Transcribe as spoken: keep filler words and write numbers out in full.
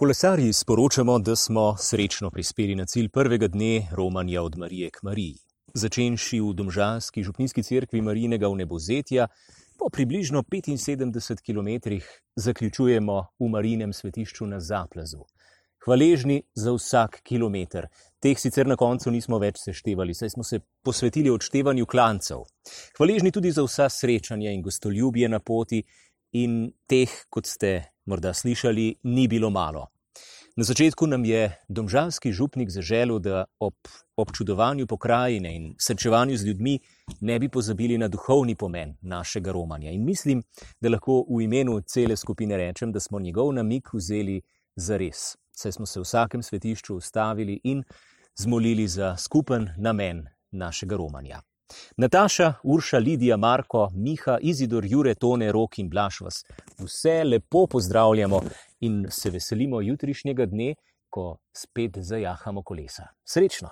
Kolesarji sporočamo, da smo srečno prispeli na cilj prvega dne romanja od Marije k Mariji. Začenši v domžalski župnijski cerkvi Marijinega vnebovzetja, po približno petinsedemdeset kilometrih zaključujemo v Marijinem svetišču na Zaplazu. Hvaležni za vsak kilometer. Teh sicer na koncu nismo več seštevali, saj smo se posvetili odštevanju klancev. Hvaležni tudi za vsa srečanja in gostoljubje na poti in teh, kot ste morda slišali, ni bilo malo. Na začetku nam je domžalski župnik zaželel, da ob občudovanju pokrajine in srečevanju z ljudmi ne bi pozabili na duhovni pomen našega romanja. In mislim, da lahko v imenu cele skupine rečem, da smo njegov namig vzeli zares. Saj smo se v vsakem svetišču ustavili in zmolili za skupen namen našega romanja. Nataša, Urša, Lidija, Marko, Miha, Izidor, Jure, Tone, Rok in Blaž vas vse lepo pozdravljamo in se veselimo jutrišnjega dne, ko spet zajahamo kolesa. Srečno!